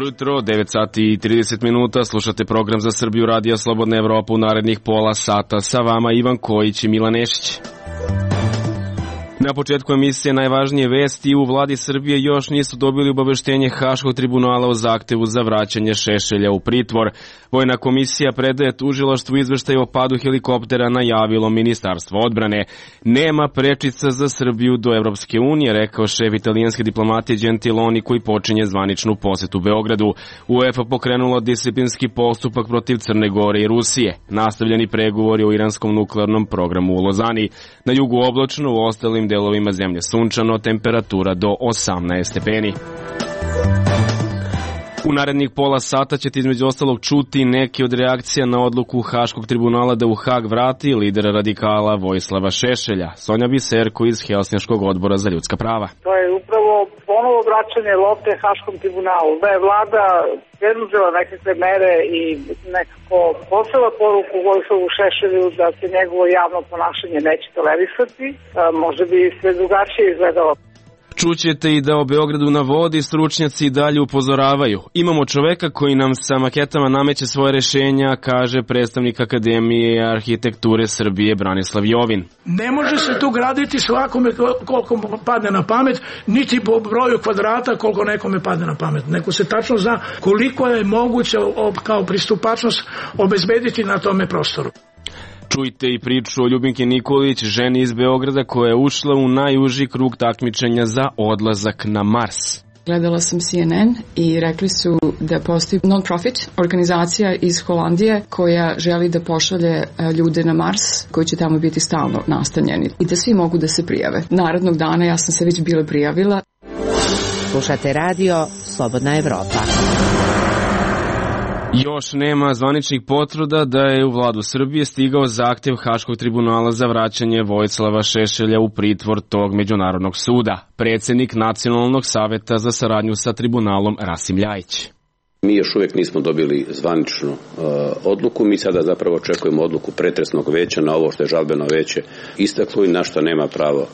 Dobro jutro, 9 sati i 30 minuta, slušate program za Srbiju Radija Slobodna Evropa u narednih pola sata. Sa vama Ivan Kojić i Milan Nešić. Na početku emisije najvažnije vesti: u vladi Srbije još nisu dobili obaveštenje Haškog tribunala o zahtevu za vraćanje Šešelja u pritvor. Vojna komisija predaje tužilaštvu izveštaj o padu helikoptera, najavilo Ministarstvo odbrane. Nema prečica za Srbiju do Evropske unije, rekao šef italijanske diplomatije Gentiloni, koji počinje zvaničnu posetu Beogradu. UEFA pokrenula disciplinski postupak protiv Crne Gore i Rusije. Nastavljeni pregovori o iranskom nuklearnom programu u Lozani. Na jugu oblačno, u ostalim delovima zemlje sunčano, temperatura do 18 stepeni. U narednih pola sata ćete između ostalog čuti neke od reakcija na odluku Haškog tribunala da u Hag vrati lidera radikala Vojislava Šešelja. Sonja Biserko iz Helsinškog odbora za ljudska prava. To je upravo ponovo vraćanje lopte Haškom tribunalu. Da je vlada preduzela nekakve mere i nekako poslala poruku Vojislavu Šešelju da se njegovo javno ponašanje neće tolerisati, možda bi sve drugačije izgledalo. Čućete i da o Beogradu na vodi stručnjaci i dalje upozoravaju. Imamo čoveka koji nam sa maketama nameće svoje rešenja, kaže predstavnik Akademije arhitekture Srbije Branislav Jovin. Ne može se tu graditi svakome koliko padne na pamet, niti po broju kvadrata koliko nekome padne na pamet. Neko se tačno zna koliko je moguće kao pristupačnost obezbediti na tome prostoru. Čujte i priču o Ljubinki Nikolić, ženi iz Beograda koja je ušla u najuži krug takmičenja za odlazak na Mars. Gledala sam CNN i rekli su da postoji non-profit organizacija iz Holandije koja želi da pošalje ljude na Mars koji će tamo biti stalno nastanjeni i da svi mogu da se prijave. Narednog dana ja sam se već bila prijavila. Slušate radio Slobodna Evropa. Još nema zvaničnih potvrda da je u vladu Srbije stigao zahtev Haškog tribunala za vraćanje Vojislava Šešelja u pritvor tog međunarodnog suda. Predsednik Nacionalnog saveta za saradnju sa tribunalom Rasim Ljajić. Mi još uvijek nismo dobili zvaničnu odluku, mi sada zapravo očekujemo odluku pretresnog veća na ovo što je žalbeno veće istaklo i na što nema pravo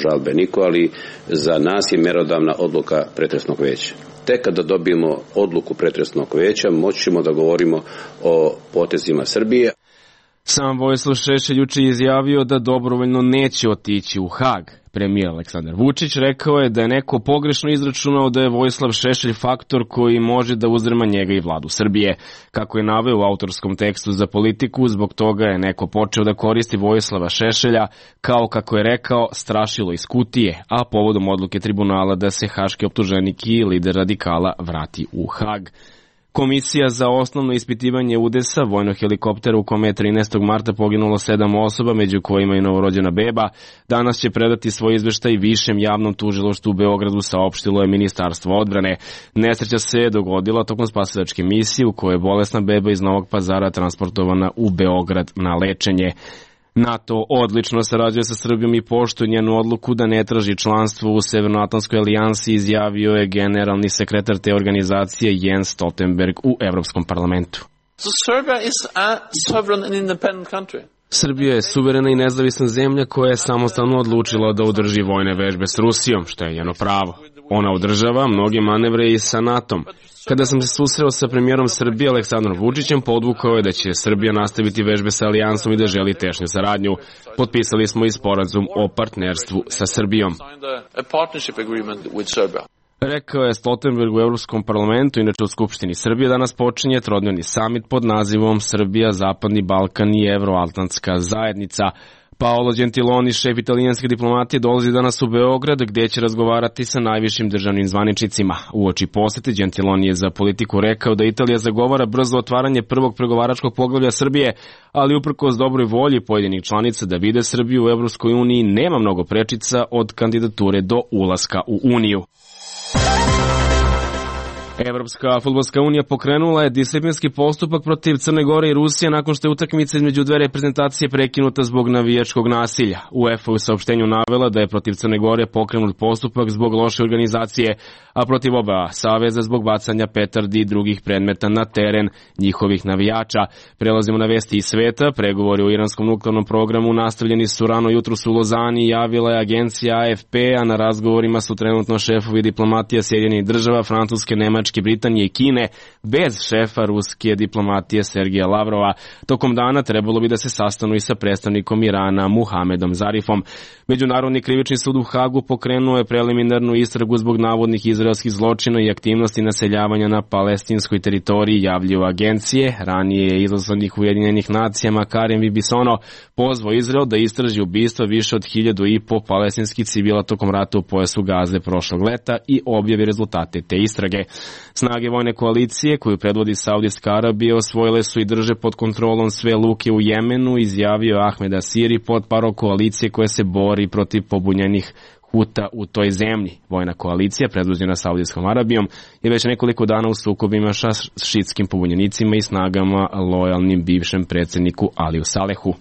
žalbe niko, ali za nas je mjerodavna odluka pretresnog veća. Tek kada dobijemo odluku pretresnog veća, moći ćemo da govorimo o potezima Srbije. Sam Vojislav Šešelj juče izjavio da dobrovoljno neće otići u Hag. Premijer Aleksandar Vučić rekao je da je neko pogrešno izračunao da je Vojislav Šešelj faktor koji može da uzdrma njega i vladu Srbije. Kako je naveo u autorskom tekstu za Politiku, zbog toga je neko počeo da koristi Vojislava Šešelja kao, kako je rekao, strašilo iz kutije, a povodom odluke tribunala da se haški optuženik i lider radikala vrati u Hag. Komisija za osnovno ispitivanje udesa vojnog helikoptera u kome je 13. marta poginulo 7 osoba, među kojima i novorođena beba, danas će predati svoj izveštaj Višem javnom tužilaštvu u Beogradu, saopštilo je Ministarstvo odbrane. Nesreća se dogodila tokom spasilačke misije u kojoj je bolesna beba iz Novog Pazara transportovana u Beograd na lečenje. NATO odlično sarađuje sa Srbijom i poštuje njenu odluku da ne traži članstvo u Severnoatlantskoj alijansi, izjavio je generalni sekretar te organizacije Jens Stoltenberg u Evropskom parlamentu. Srbija je suverena i nezavisna zemlja koja je samostalno odlučila da održi vojne vežbe s Rusijom, što je njeno pravo. Ona održava mnoge manevre i sa NATO-om. Kada sam se susreo sa premijerom Srbije Aleksandrom Vučićem, podvukao je da će Srbija nastaviti vežbe sa alijansom i da želi tešnju saradnju. Potpisali smo i sporazum o partnerstvu sa Srbijom. Rekao je Stoltenberg u Evropskom parlamentu, inače u Skupštini Srbije danas počinje trodnevni samit pod nazivom Srbija, Zapadni Balkan i Evroatlantska zajednica. Paolo Gentiloni, šef italijanske diplomatije, dolazi danas u Beograd gdje će razgovarati sa najvišim državnim zvaničnicima. Uoči posete Gentiloni je za Politiku rekao da Italija zagovara brzo otvaranje prvog pregovaračkog poglavlja Srbije, ali uprkos dobroj volji pojedinih članica da vide Srbiju u Evropskoj uniji nema mnogo prečica od kandidature do ulaska u Uniju. Evropska fudbalska unija pokrenula je disciplinski postupak protiv Crne Gore i Rusije nakon što je utakmica između dve reprezentacije prekinuta zbog navijačkog nasilja. UEFA u saopštenju navela da je protiv Crne Gore pokrenut postupak zbog loše organizacije, a protiv oba saveza zbog bacanja petardi i drugih predmeta na teren njihovih navijača. Prelazimo na vesti iz sveta. Pregovori o iranskom nuklearnom programu nastavljeni su rano jutros u Lozani, javila je agencija AFP, a na razgovorima su trenutno šefovi diplomatija Sjedinjenih Država, Francuske, Nemačke Nemačke, Britanije i Kine bez šefa ruske diplomatije Sergeja Lavrova. Tokom dana trebalo bi da se sastanu i sa predstavnikom Irana Muhamedom Zarifom. Međunarodni krivični sud u Hagu pokrenuo je preliminarnu istragu zbog navodnih izraelskih zločina i aktivnosti naseljavanja na palestinskoj teritoriji, javljaju agencije. Ranije je izaslanik Ujedinjenih nacijama Karim Bibisono pozvao Izrael da istraži ubistva više od 1.500 palestinskih civila tokom rata u pojasu Gaze prošlog leta i objavi rezultate te istrage. Snage vojne koalicije koju predvodi Saudijska Arabija osvojile su i drže pod kontrolom sve luke u Jemenu, izjavio Ahmed Asiri, potparol koalicije koja se bori protiv pobunjenih Huta u toj zemlji. Vojna koalicija, predvođena Saudijskom Arabijom, je već nekoliko dana u sukobima sa šiitskim pobunjenicima i snagama lojalnim bivšem predsjedniku Aliju Salehu.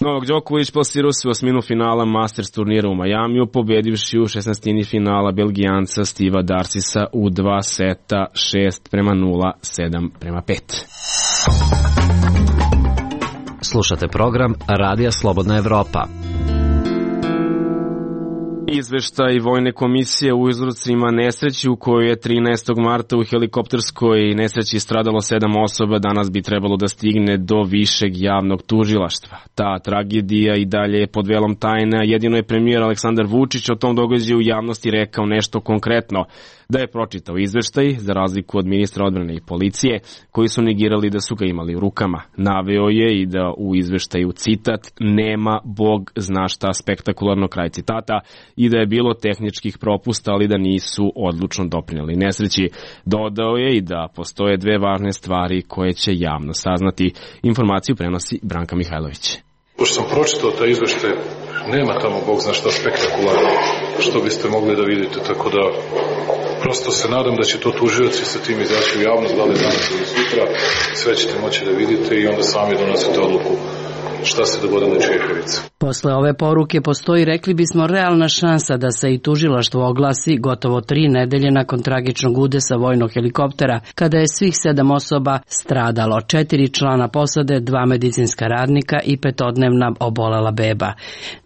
Novak Đoković plasirao se u osminu finala Masters turnira u Majamiju, pobedivši u 16. finala Belgijanca Steva Darsisa u 2 seta 6:0, 7:5. Slušate program Radija Slobodna Evropa. Izveštaj Vojne komisije u uzrocima nesreći u kojoj je 13. marta u helikopterskoj nesreći stradalo 7 osoba danas bi trebalo da stigne do višeg javnog tužilaštva. Ta tragedija i dalje je pod velom tajne, jedino je premijer Aleksandar Vučić o tom događaju u javnosti rekao nešto konkretno, da je pročitao izveštaj za razliku od ministra odbrane i policije koji su negirali da su ga imali u rukama. Naveo je i da u izveštaju citat nema Bog zna šta spektakularno, kraj citata, i da je bilo tehničkih propusta, ali da nisu odlučno doprinijeli nesreći. Dodao je i da postoje dve važne stvari koje će javno saznati. Informaciju prenosi Branka Mihajlović. Pošto sam pročitao taj izveštaj, nema tamo Bog zna šta spektakularno što biste mogli da vidite, tako da prosto se nadam da će to tužioci sa tim izaći u javnost, da li danas ili sutra, sve ćete moći da vidite i onda sami donosite odluku šta se dogodilo u Čehevici. Posle ove poruke postoji, rekli bismo, realna šansa da se i tužilaštvo oglasi gotovo 3 nedelje nakon tragičnog udesa vojnog helikoptera, kada je svih 7 osoba stradalo, 4 člana posade, 2 medicinska radnika i 5-dnevna obolela beba.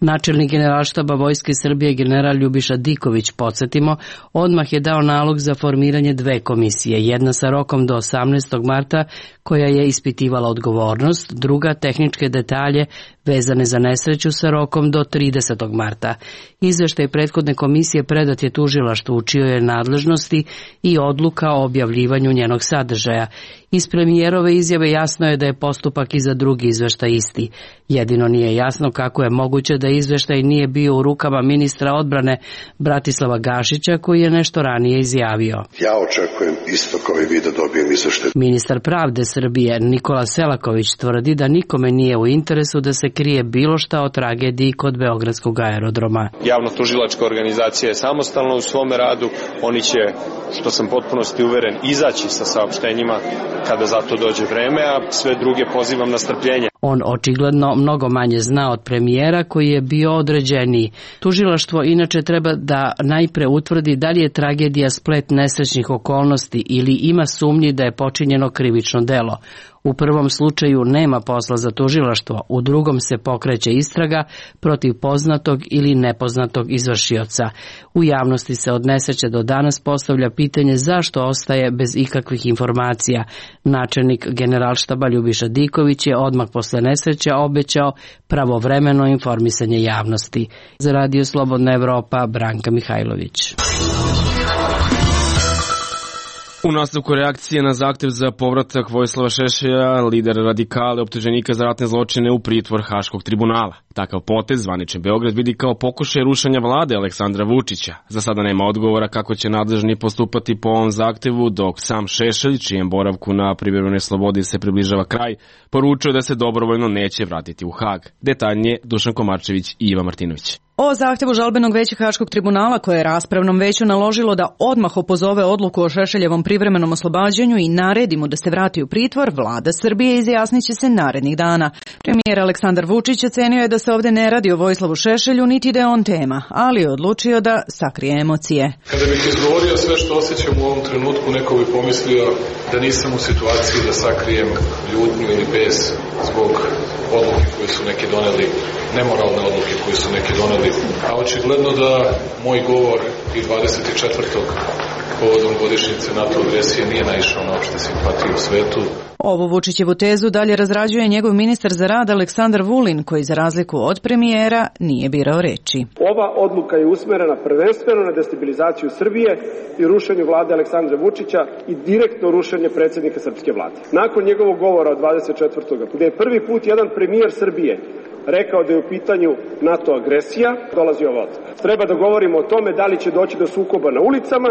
Načelnik Generalštaba Vojske Srbije general Ljubiša Diković, podsjetimo, odmah je dao nalog za formiranje 2 komisije, jedna sa rokom do 18. marta koja je ispitivala odgovornost, druga tehničke detalje vezane za nesreću sa rokom do 30. marta. Izveštaj prethodne komisije predat je tužilaštvu u čijoj je nadležnosti i odluka o objavljivanju njenog sadržaja. Iz premijerove izjave jasno je da je postupak i za drugi izveštaj isti. Jedino nije jasno kako je moguće da izveštaj nije bio u rukama ministra odbrane Bratislava Gašića, koji je nešto ranije izjavio. Ja očekujem isto kao i vi da dobijem izveštaj. Ministar pravde Srbije Nikola Selaković tvrdi da nikome nije u interesu da se krije bilo šta o tragediji kod Beogradskog aerodroma. Javno-tužilačka organizacija je samostalna u svome radu, oni će, što sam potpunosti uveren, izaći sa saopštenjima kada za to dođe vreme, a sve druge pozivam na strpljenje. On očigledno mnogo manje zna od premijera koji je bio određeniji. Tužilaštvo inače treba da najpre utvrdi da li je tragedija splet nesrećnih okolnosti ili ima sumnji da je počinjeno krivično delo. U prvom slučaju nema posla za tužilaštvo, u drugom se pokreće istraga protiv poznatog ili nepoznatog izvršioca. U javnosti se od nesreće do danas postavlja pitanje zašto ostaje bez ikakvih informacija. Načelnik Generalštaba Ljubiša Diković je odmah posle nesreće obećao pravovremeno informisanje javnosti. Za Radio Slobodna Evropa, Branka Mihajlović. U nastavku reakcije na zahtev za povratak Vojislava Šešelja, lider radikala optuženika za ratne zločine u pritvor Haškog tribunala. Takav potez zvanični Beograd vidi kao pokušaj rušenja vlade Aleksandra Vučića. Za sada nema odgovora kako će nadležni postupati po ovom zahtevu, dok sam Šešelj, čijem boravku na privremenoj slobodi se približava kraj, poručuje da se dobrovoljno neće vratiti u Hag. Detaljnije Dušan Komarčević i Iva Martinović. O zahtevu žalbenog veća Haškog tribunala koje je raspravnom veću naložilo da odmah opozove odluku o Šešeljevom privremenom oslobađanju i naredi mu da se vrati u pritvor, vlada Srbije izjasniće se narednih dana. Premijer Aleksandar Vučić ocenio je da se ovde ne radi o Vojislavu Šešelju, niti da je on tema, ali je odlučio da sakrije emocije. Kada bih izgovorio sve što osjećam u ovom trenutku, neko bi pomislio da nisam u situaciji da sakrijem ljutnju ili bes zbog odluke koje su neki doneli, nemoralne odluke koje su neki doneli. A očigledno da moj govor i 24. povodom godišnjice NATO agresije nije naišao na opšte simpatije u svetu. Ovu Vučićevu tezu dalje razrađuje njegov ministar za rad Aleksandar Vulin, koji za razliku od premijera nije birao reči. Ova odluka je usmerena prvenstveno na destabilizaciju Srbije i rušenju vlade Aleksandra Vučića i direktno rušenje predsjednika srpske vlade. Nakon njegovog govora od 24. gde je prvi put jedan premijer Srbije rekao da je u pitanju NATO agresija, dolazi ova odluka. Treba da govorimo o tome da li će doći do sukoba na ulicama,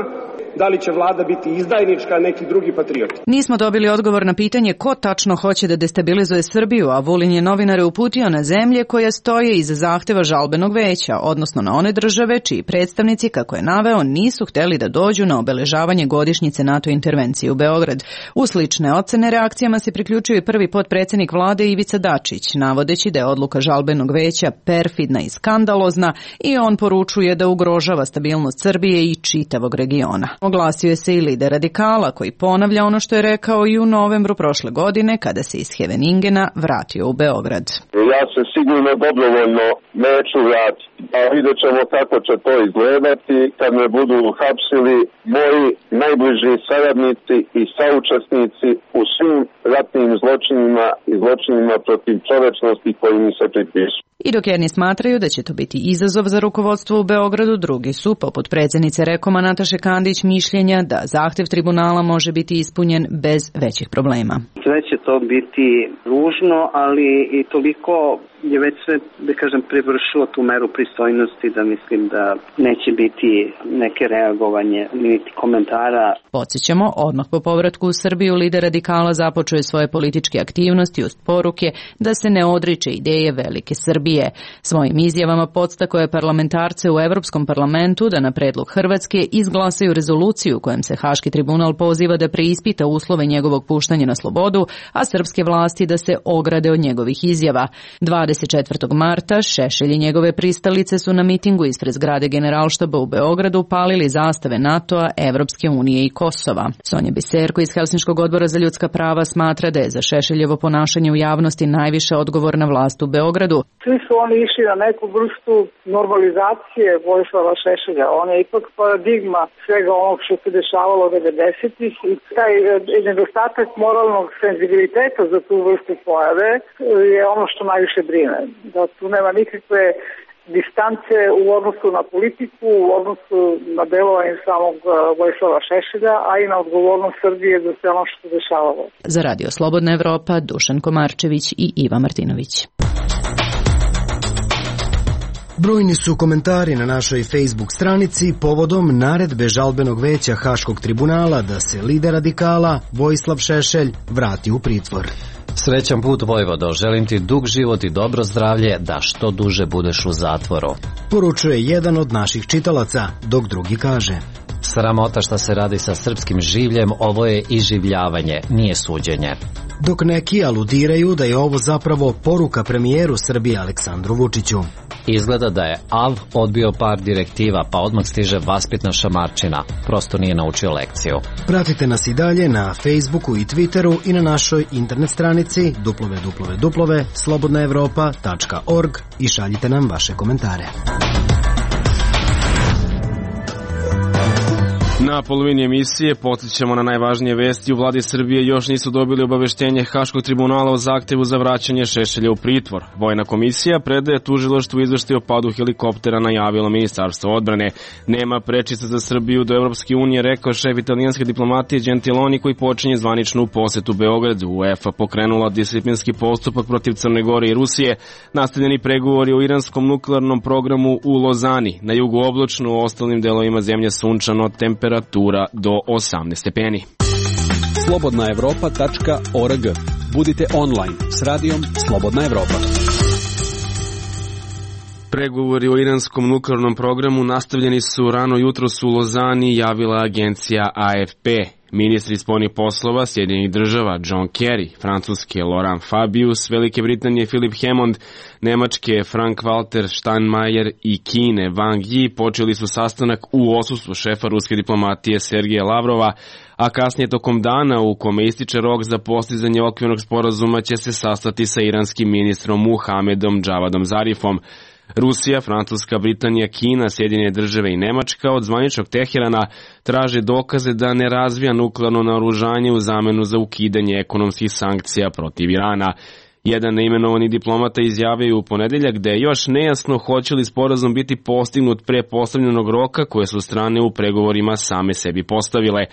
da li će vlada biti izdajnička, a neki drugi patrioti. Nismo dobili odgovor na pitanje ko tačno hoće da destabilizuje Srbiju, a Vulin je novinare uputio na zemlje koje stoje iza zahteva žalbenog veća, odnosno na one države čiji predstavnici, kako je naveo, nisu hteli da dođu na obeležavanje godišnjice NATO intervencije u Beograd. U slične ocene reakcijama se priključio i prvi potpredsednik vlade Ivica Dačić, navodeći da je odluka žalbenog veća perfidna i skandalozna i on poručuje da ugrožava stabilnost Srbije i čitavog regiona. Oglasio je se i lider radikala koji ponavlja ono što je rekao i u novembru prošle godine kada se iz Heveningena vratio u Beograd. Ja se sigurno dobrovoljno neću vratiti, a vidjet ćemo kako će to izgledati kad me budu hapsili moji najbliži saradnici i saučesnici u svim ratnim zločinima i zločinima protiv čovečnosti koji mi se pripisuju. I dok jedni smatraju da će to biti izazov za rukovodstvo u Beogradu, drugi su, poput predsjednice Rekoma Nataše Kandić, mišljenja da zahtev tribunala može biti ispunjen bez većih problema. Sve će to biti ružno, ali i toliko je već sve, da kažem, prevršilo tu meru pristojnosti da mislim da neće biti neke reagovanje niti komentara. Podsjećamo, odmah po povratku u Srbiju lider radikala započeo je svoje političke aktivnosti uz poruke da se ne odriče ideje velike Srbije. Svojim izjavama podstakao je parlamentarce u Evropskom parlamentu da na predlog Hrvatske izglasaju rezoluciju kojom se Haški tribunal poziva da preispita uslove njegovog puštanja na slobodu, a srpske vlasti da se ograde od njegovih izjava. 24. marta Šešelj i njegove pristalice su na mitingu ispred zgrade Generalštaba u Beogradu palili zastave NATO-a, Evropske unije i Kosova. Sonja Biserko iz Helsinškog odbora za ljudska prava smatra da je za Šešeljevo ponašanje u javnosti najviše odgovorna vlast u Beogradu. Svi su oni išli na neku vrstu normalizacije Vojislava Šešelja. On je ipak paradigma svega onog što se dešavalo 90-ih i taj nedostatak moralnog senzibiliteta za tu vrstu pojave je ono što najviše brine. Da tu nema nikakve distance u odnosu na politiku, u odnosu na delovanje samog Vojislava Šešelja, a i na odgovornost Srbije za sve ono što se dešavalo. Za Radio Slobodna Evropa, Dušan Komarčević i Iva Martinović. Brojni su komentari na našoj Facebook stranici povodom naredbe žalbenog veća Haškog tribunala da se lider radikala Vojislav Šešelj vrati u pritvor. Srećan put, Vojvodo, želim ti dug život i dobro zdravlje, da što duže budeš u zatvoru. Poručuje jedan od naših čitalaca, dok drugi kaže: Sramota šta se radi sa srpskim življem, ovo je iživljavanje, nije suđenje. Dok neki aludiraju da je ovo zapravo poruka premijeru Srbije Aleksandru Vučiću. Izgleda da je AV odbio par direktiva, pa odmah stiže vaspitna šamarčina. Prosto nije naučio lekciju. Pratite nas i dalje na Facebooku i Twitteru i na našoj internet stranici www.slobodnaevropa.org i šaljite nam vaše komentare. Na polovini emisije podsjećamo na najvažnije vesti. U vladi Srbije još nisu dobili obaveštenje Haškog tribunala o zahtevu za vraćanje Šešelja u pritvor. Vojna komisija predaje tužilaštvu izveštaj o padu helikoptera, najavilo Ministarstvo odbrane. Nema prečica za Srbiju do Evropske unije, rekao šef italijanske diplomatije Gentiloni, koji počinje zvaničnu posetu Beogradu. UEFA pokrenula disciplinski postupak protiv Crne Gore i Rusije. Nastavljeni pregovori o iranskom nuklearnom programu u Lozani. Na jugu oblačno, u ostalim delovima zemlje sunčano, temperatura do 18 stepeni. Slobodnaevropa.org. Budite online s radijom Slobodna Evropa. Pregovori o iranskom nuklearnom programu nastavljeni su rano jutros u Lozani, javila agencija AFP. Ministri spoljnih poslova Sjedinjenih država John Kerry, Francuske Laurent Fabius, Velike Britanije Philip Hammond, Nemačke Frank-Walter Steinmeier i Kine Wang Yi počeli su sastanak u odsustvu šefa ruske diplomatije Sergeja Lavrova, a kasnije tokom dana u kome ističe rok za postizanje okvirnog sporazuma će se sastati sa iranskim ministrom Muhamedom Javadom Zarifom. Rusija, Francuska, Britanija, Kina, Sjedinjene države i Nemačka od zvaničnog Teherana traže dokaze da ne razvija nuklearno naoružanje u zamenu za ukidanje ekonomskih sankcija protiv Irana. Jedan neimenovani diplomata izjavio u ponedeljak da je još nejasno hoće li sporazum biti postignut pre postavljenog roka koje su strane u pregovorima same sebi postavile.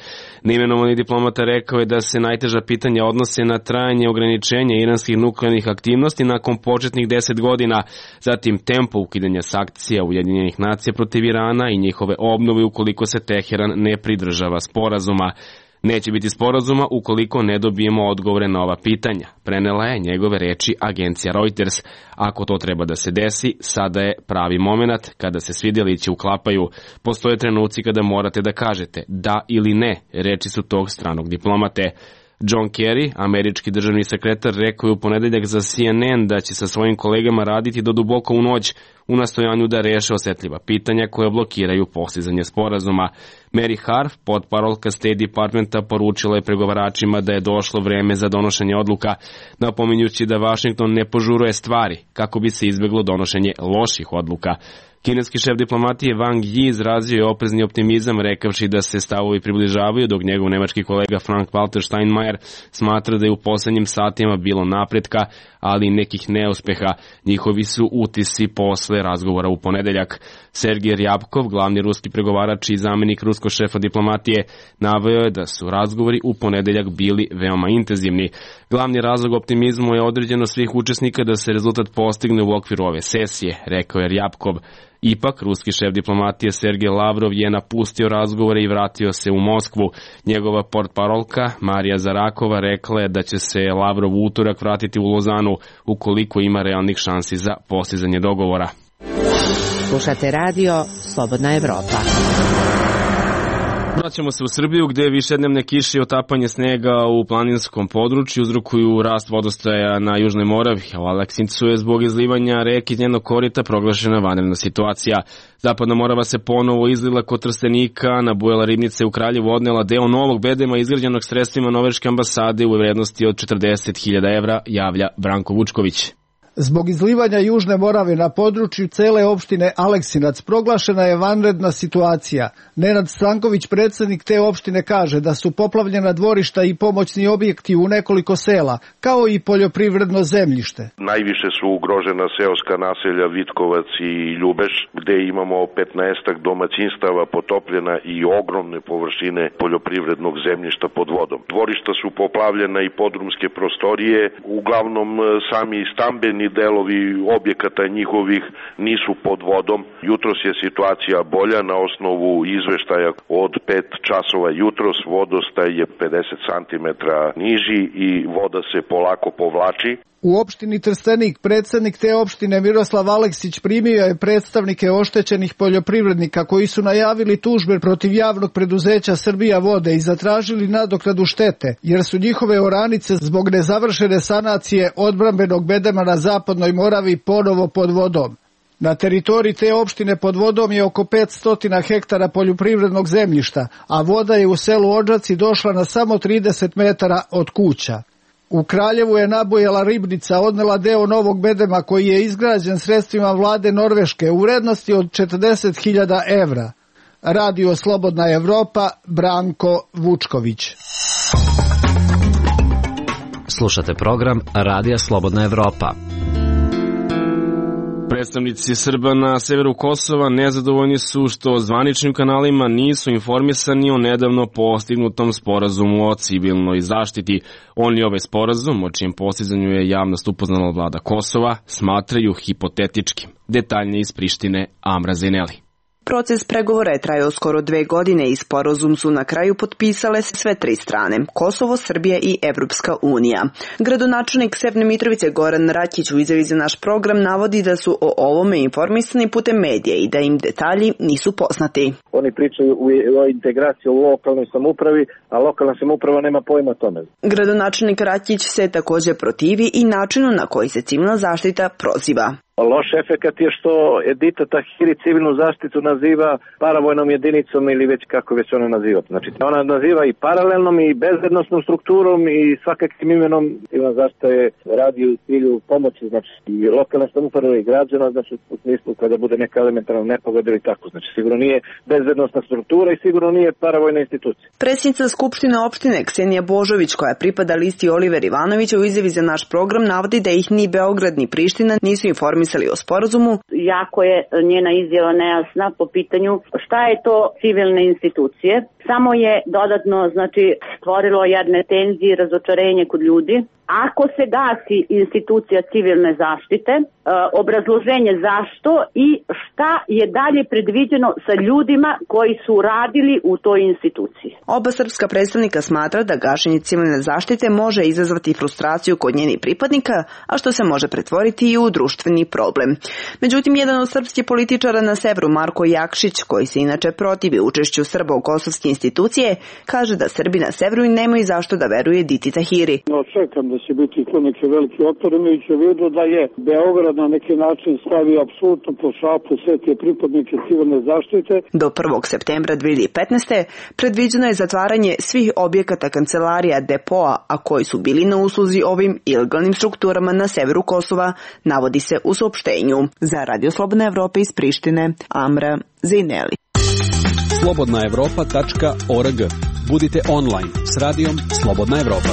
Neimenovani diplomata rekao je da se najteža pitanja odnose na trajanje ograničenja iranskih nuklearnih aktivnosti nakon početnih 10 godina, zatim tempo ukidanja sankcija Ujedinjenih nacija protiv Irana i njihove obnove ukoliko se Teheran ne pridržava sporazuma. Neće biti sporazuma ukoliko ne dobijemo odgovore na ova pitanja, prenela je njegove reči agencija Reuters. Ako to treba da se desi, sada je pravi moment kada se svi delići uklapaju. Postoje trenuci kada morate da kažete da ili ne, reči su tog stranog diplomate. John Kerry, američki državni sekretar, rekao je u ponedeljak za CNN da će sa svojim kolegama raditi do duboko u noć u nastojanju da reše osetljiva pitanja koje blokiraju postizanje sporazuma. Mary Harf, potparolka State Departmenta, poručila je pregovaračima da je došlo vreme za donošenje odluka, napominjući da Washington ne požuruje stvari kako bi se izbeglo donošenje loših odluka. Kineski šef diplomatije Wang Yi izrazio je oprezni optimizam rekavši da se stavovi približavaju, dok njegov nemački kolega Frank-Walter Steinmeier smatra da je u poslednjim satima bilo napretka, ali nekih neuspeha. Njihovi su utisci posle razgovora u ponedeljak. Sergej Ryabkov, glavni ruski pregovarač i zamenik ruskog šefa diplomatije, naveo je da su razgovori u ponedeljak bili veoma intenzivni. Glavni razlog optimizmu je određeno svih učesnika da se rezultat postigne u okviru ove sesije, rekao je Ryabkov. Ipak, ruski šef diplomatije Sergej Lavrov je napustio razgovore i vratio se u Moskvu. Njegova portparolka Marija Zarakova rekla je da će se Lavrov u utorak vratiti u Lozanu ukoliko ima realnih šansi za postizanje dogovora. Slušate radio Slobodna Evropa. Vraćamo se u Srbiju gde višednevne kiše i otapanje snega u planinskom području uzrokuju rast vodostaja na Južnoj Moravi, a u Aleksincu je zbog izlivanja reke iz njenog korita proglašena vanredna situacija. Zapadna Morava se ponovo izlila kod Trstenika, nabujala ribnice u Kraljevu, odnela deo novog bedema izgrađenog sredstvima Norveške ambasade u vrednosti od 40.000 evra, javlja Branko Vučković. Zbog izlivanja Južne Morave na području cele opštine Aleksinac proglašena je vanredna situacija. Nenad Stanković, predsednik te opštine, kaže da su poplavljena dvorišta i pomoćni objekti u nekoliko sela, kao i poljoprivredno zemljište. Najviše su ugrožena seoska naselja Vitkovac i Ljubeš, gde imamo 15 domaćinstava potopljena i ogromne površine poljoprivrednog zemljišta pod vodom. Dvorišta su poplavljena i podrumske prostorije, uglavnom sami stambeni delovi objekata njihovih nisu pod vodom. Jutros je situacija bolja na osnovu izveštaja od 5 časova jutros. Vodostaj je 50 cm niži i voda se polako povlači. U opštini Trstenik predsednik te opštine Miroslav Aleksić primio je predstavnike oštećenih poljoprivrednika koji su najavili tužbe protiv javnog preduzeća Srbija vode i zatražili nadoknadu štete, jer su njihove oranice zbog nezavršene sanacije odbrambenog bedema na Zapadnoj Moravi ponovo pod vodom. Na teritoriji te opštine pod vodom je oko 500 hektara poljoprivrednog zemljišta, a voda je u selu Odžaci došla na samo 30 metara od kuća. U Kraljevu je nabujala ribnica, odnela deo novog bedema koji je izgrađen sredstvima vlade Norveške u vrednosti od 40.000 evra. Radio Slobodna Evropa, Branko Vučković. Slušate program Radija Slobodna Evropa. Predstavnici Srba na severu Kosova nezadovoljni su što zvaničnim kanalima nisu informisani o nedavno postignutom sporazumu o civilnoj zaštiti. Oni ovaj sporazum, o čijem postizanju je javnost upoznala vlada Kosova, smatraju hipotetičkim. Detaljnije iz Prištine, Amra Zeneli. Proces pregovora je trajao skoro 2 godine i sporazum su na kraju potpisale sve 3 strane, Kosovo, Srbija i Evropska unija. Gradonačelnik Severne Mitrovice Goran Rakić u izjavi za naš program navodi da su o ovome informisani putem medija i da im detalji nisu poznati. Oni pričaju o integraciji u lokalnoj samoupravi, a lokalna samouprava nema pojma o tome. Gradonačelnik Rakić se također protivi i načinu na koji se civilna zaštita proziva. Loš efekat je što Edita Tahiri civilnu zaštitu naziva paravojnom jedinicom ili već kako već ona naziva. Znači ona naziva i paralelnom i bezbednosnom strukturom i svakakvim imenom. Civilna zaštita je radi u cilju pomoći, znači i lokalne samouprave i građana, znači u smislu kada bude neka elementarna nepogoda ili tako. Znači sigurno nije bezbednosna struktura i sigurno nije paravojna institucija. Predsjednica Skupštine opštine Ksenija Božović, koja pripada listi Oliver Ivanović, u izjavi za naš program navodi da ih ni Beograd ni Priština nisu informisali o sporazumu. Jako je njena izjava nejasna po pitanju šta je to civilne institucije. Samo je dodatno stvorilo jedne tenzije i razočarenje kod ljudi. Ako se gasi institucija civilne zaštite, obrazloženje zašto i šta je dalje predviđeno sa ljudima koji su radili u toj instituciji. Oba srpska predstavnika smatra da gašenje civilne zaštite može izazvati frustraciju kod njenih pripadnika, a što se može pretvoriti i u društveni problem. Međutim, jedan od srpskih političara na severu, Marko Jakšić, koji se inače protivi učešću Srba u kosovske institucije, kaže da Srbi na severu nemaju zašto da veruje Editi Tahiri. Čekam da će biti tu neki veliki otpor, imajući u vidu da je Beograd na neki način stavio apsolutno po šapu sve te pripadnike civilne zaštite. Do 1. septembra 2015. predviđeno je zatvaranje svih objekata kancelarija depoa, a koji su bili na usluzi ovim ilegalnim strukturama na severu Kosova, navodi se u saopštenju. Za Radio Slobodna Evropa iz Prištine, Amra Zejneli. slobodnaevropa.org. Budite online s radijom Slobodna Evropa.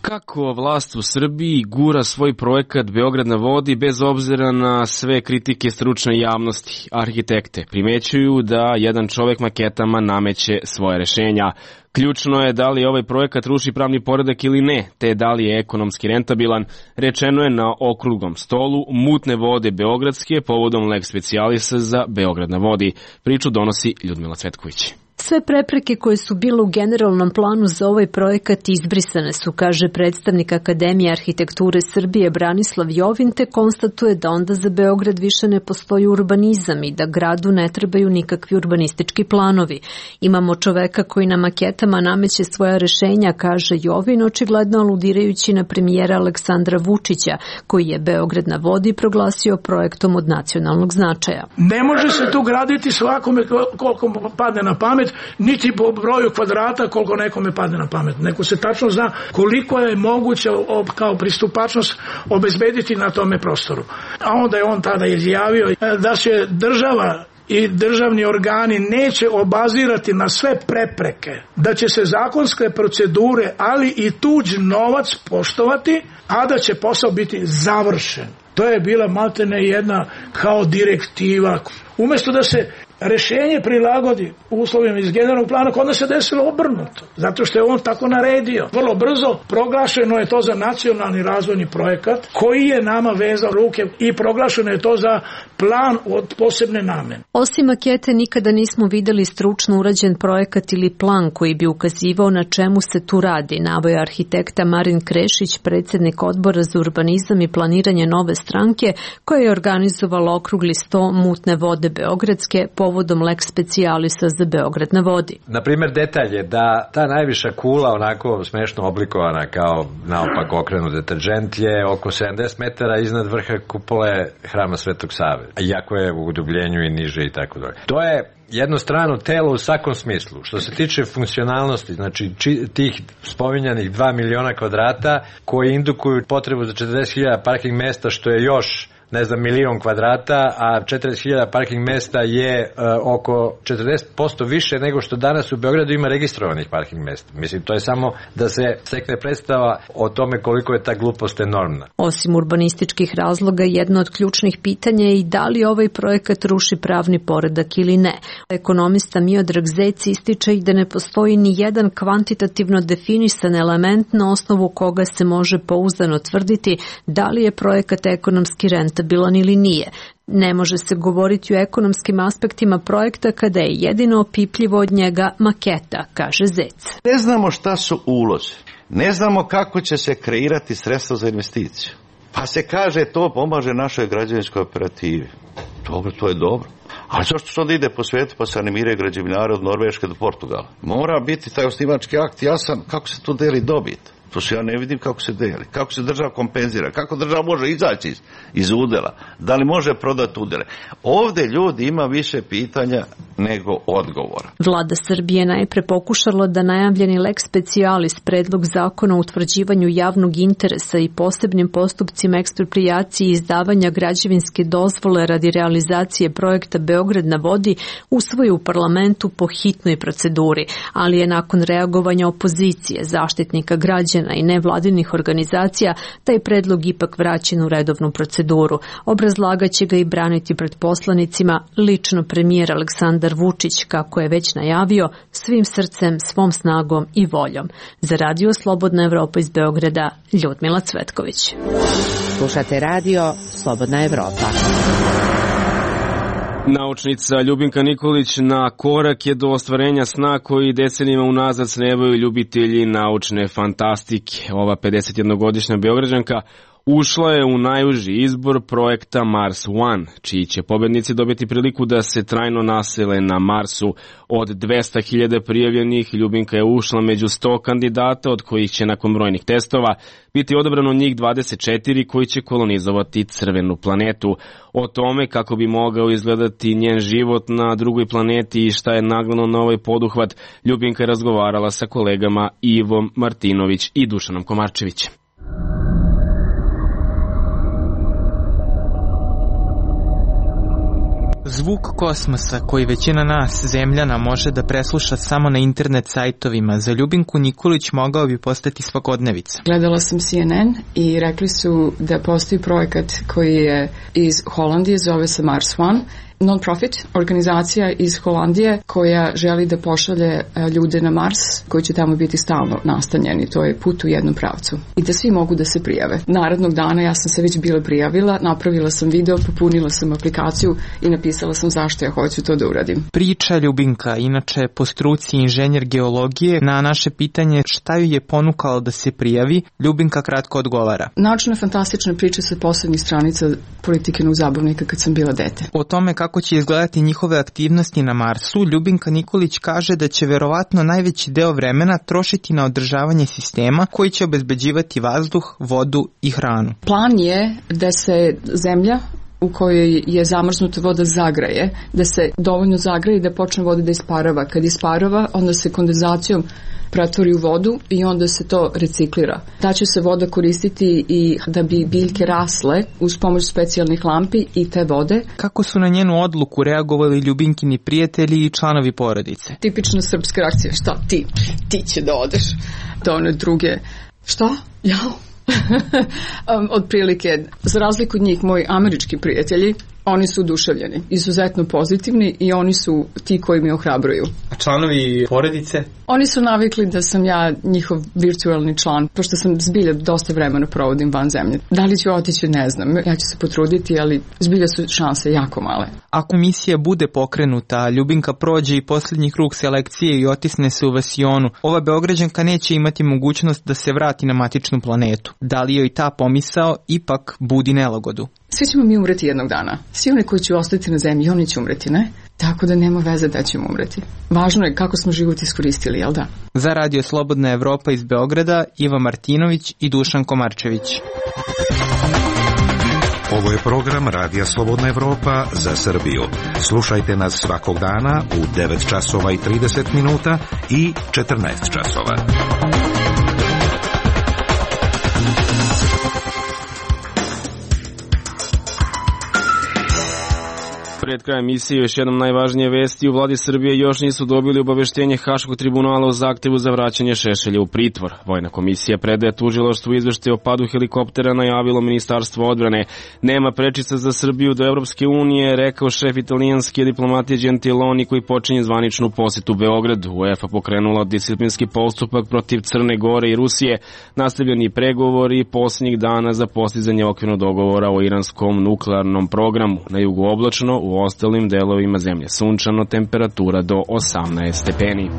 Kako vlast u Srbiji gura svoj projekat Beograd na vodi bez obzira na sve kritike stručne javnosti? Arhitekte primećuju da jedan čovek maketama nameće svoje rešenja. Ključno je da li ovaj projekat ruši pravni poredak ili ne, te da li je ekonomski rentabilan, rečeno je na okruglom stolu Mutne vode beogradske povodom lex specialisa za Beograd na vodi. Priču donosi Ljudmila Cvetković. Sve prepreke koje su bile u generalnom planu za ovaj projekat izbrisane su, kaže predstavnik Akademije arhitekture Srbije Branislav Jovin, te konstatuje da onda za Beograd više ne postoji urbanizam i da gradu ne trebaju nikakvi urbanistički planovi. Imamo čoveka koji na maketama nameće svoja rešenja, kaže Jovin, očigledno aludirajući na premijera Aleksandra Vučića, koji je Beograd na vodi proglasio projektom od nacionalnog značaja. Ne može se tu graditi svakome koliko padne na pamet, niti po broju kvadrata koliko nekome padne na pamet. Neko se tačno zna koliko je moguće kao pristupačnost obezbediti na tome prostoru. A onda je on tada izjavio da će država i državni organi neće obazirati na sve prepreke, da će se zakonske procedure, ali i tuđ novac poštovati, a da će posao biti završen. To je bila maltene jedna kao direktiva. Umjesto da se rešenje prilagodi uslovima iz generalnog plana, kod nas se desilo obrnuto, zato što je on tako naredio. Vrlo brzo proglašeno je to za nacionalni razvojni projekat koji je nama vezao ruke i proglašeno je to za plan od posebne namene. Osim makete nikada nismo videli stručno urađen projekat ili plan koji bi ukazivao na čemu se tu radi, naveo arhitekta Marin Krešić, predsjednik odbora za urbanizam i planiranje Nove stranke, koja je organizovala okrugli sto Mutne vode beogradske povodom lex specialisa za Beograd na vodi. Naprimjer, detalj je da ta najviša kula, onako smešno oblikovana kao naopak okrenut deterdžent, je oko 70 metara iznad vrha kupole Hrama Svetog Save, iako je u udubljenju i niže i tako dalje. To je jedno strano telo u svakom smislu. Što se tiče funkcionalnosti, znači tih spominjanih 2 miliona kvadrata koji indukuju potrebu za 40.000 parking mesta, što je još milion kvadrata, a 40.000 parking mesta je oko 40% više nego što danas u Beogradu ima registrovanih parking mesta. Mislim, to je samo da se stekne predstava o tome koliko je ta glupost enormna. Osim urbanističkih razloga, jedno od ključnih pitanja je i da li ovaj projekat ruši pravni poredak ili ne. Ekonomista Miodrag Zec ističe i da ne postoji ni jedan kvantitativno definisan element na osnovu koga se može pouzdano tvrditi da li je projekat ekonomski rentabilan ili nije. Ne može se govoriti o ekonomskim aspektima projekta kada je jedino opipljivo od njega maketa, kaže Zec. Ne znamo šta su ulozi, ne znamo kako će se kreirati sredstva za investiciju. Pa se kaže to pomaže našoj građevinskoj operativi. Dobro, to je dobro. Ali zašto se onda ide po svijetu pa se animiraju građevinari od Norveške do Portugala? Mora biti taj osnivački akt jasan kako se tu deli dobit. To se ja ne vidim kako se deli, kako se država kompenzira, kako država može izaći iz udela, da li može prodati udele. Ovdje ljudi ima više pitanja nego odgovora. Vlada Srbije najpre pokušala da najavljeni lex specialis, predlog zakona o utvrđivanju javnog interesa i posebnim postupcima eksproprijacije i izdavanja građevinske dozvole radi realizacije projekta Beograd na vodi, usvoji u parlamentu po hitnoj proceduri, ali je nakon reagovanja opozicije, zaštitnika građana i nevladinih organizacija taj predlog ipak vraćen u redovnu proceduru. Obrazlagaće ga i braniti pred poslanicima lično premijer Aleksandar Vučić, kako je već najavio, svim srcem, svom snagom i voljom. Za Radio Slobodna Evropa iz Beograda, Ljudmila Cvetković. Slušate Radio Slobodna Evropa. Naučnica Ljubinka Nikolić na korak je do ostvarenja sna koji decenijima unazad snevaju ljubitelji naučne fantastike. Ova 51-godišnja Beograđanka ušla je u najuži izbor projekta Mars One, čiji će pobednici dobiti priliku da se trajno nasele na Marsu. Od 200.000 prijavljenih, Ljubinka je ušla među 100 kandidata, od kojih će nakon brojnih testova biti odabrano njih 24 koji će kolonizovati crvenu planetu. O tome kako bi mogao izgledati njen život na drugoj planeti i šta je nagnalo na ovaj poduhvat, Ljubinka je razgovarala sa kolegama Ivom Martinović i Dušanom Komarčevićem. Zvuk kosmosa koji većina nas, zemljana, može da presluša samo na internet sajtovima, za Ljubinku Nikolić mogao bi postati svakodnevica. Gledala sam CNN i rekli su da postoji projekat koji je iz Holandije, zove se Mars One, non-profit organizacija iz Holandije koja želi da pošalje ljude na Mars koji će tamo biti stalno nastanjeni. To je put u jednom pravcu. I da svi mogu da se prijave. Narednog dana ja sam se već bila prijavila, napravila sam video, popunila sam aplikaciju i napisala sam zašto ja hoću to da uradim. Priča Ljubinka, inače po struci inženjer geologije, na naše pitanje šta ju je ponukalo da se prijavi, Ljubinka kratko odgovara. Naučna fantastična priča sa poslednjih stranica Politikinog zabavnika kad sam bila dete. O tome kako će izgledati njihove aktivnosti na Marsu, Ljubinka Nikolić kaže da će verovatno najveći deo vremena trošiti na održavanje sistema koji će obezbeđivati vazduh, vodu i hranu. Plan je da se zemlja u kojoj je zamrznuta voda zagraje, da se dovoljno zagraje i da počne voda da isparava. Kad isparava, onda se kondenzacijom pretvori u vodu i onda se to reciklira. Ta će se voda koristiti i da bi biljke rasle uz pomoć specijalnih lampi i te vode. Kako su na njenu odluku reagovali Ljubinkini prijatelji i članovi porodice? Tipična srpska reakcija, šta ti će da odeš do one druge. Šta? Ja? Otprilike, za razliku od njih, moji američki prijatelji, oni su oduševljeni, izuzetno pozitivni i oni su ti koji mi ohrabruju. A članovi porodice? Oni su navikli da sam ja njihov virtualni član, pošto sam zbilja dosta vremena provodim van zemlje. Da li ću otići, ne znam, ja ću se potruditi, ali zbilja su šanse jako male. Ako misija bude pokrenuta, Ljubinka prođe i posljednji krug selekcije i otisne se u Vasionu, ova Beograđanka neće imati mogućnost da se vrati na matičnu planetu. Da li joj ta pomisao ipak budi nelagodu? Svi ćemo mi umreti jednog dana. Svi oni koji će ostati na zemlji, oni će umreti, ne? Tako da nema veze da ćemo umreti. Važno je kako smo život iskoristili, jel da? Za Radio Slobodna Evropa iz Beograda, Iva Martinović i Dušan Komarčević. Ovo je program Radija Slobodna Evropa za Srbiju. Slušajte nas svakog dana u 9 časova i 30 minuta i 14 časova. Pred krajem emisije još jednom najvažnije vesti. U vladi Srbije još nisu dobili obaveštenje Haškog tribunala o zahtevu za vraćanje Šešelja u pritvor. Vojna komisija predaje tužilaštvu izveštaj o padu helikoptera, najavilo Ministarstvo odbrane. Nema prečica za Srbiju do Evropske unije, rekao šef italijanske diplomatije Gentiloni, koji počinje zvaničnu posetu Beogradu. UEFA pokrenula disciplinski postupak protiv Crne Gore i Rusije. Nastavljeni pregovori posljednjih dana za postizanje okvirnog dogovora o iranskom nuklearnom programu. Na jugu oblačno, u ostalim delovima zemlje sunčano, temperatura do 18 stepeni.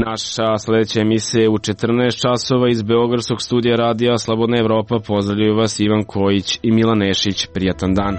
Naša sledeća emisija je u 14 časova iz Beogradskog studija radija Slobodna Evropa. Pozdravljaju vas Ivan Kojić i Milan Nešić. Prijatan dan.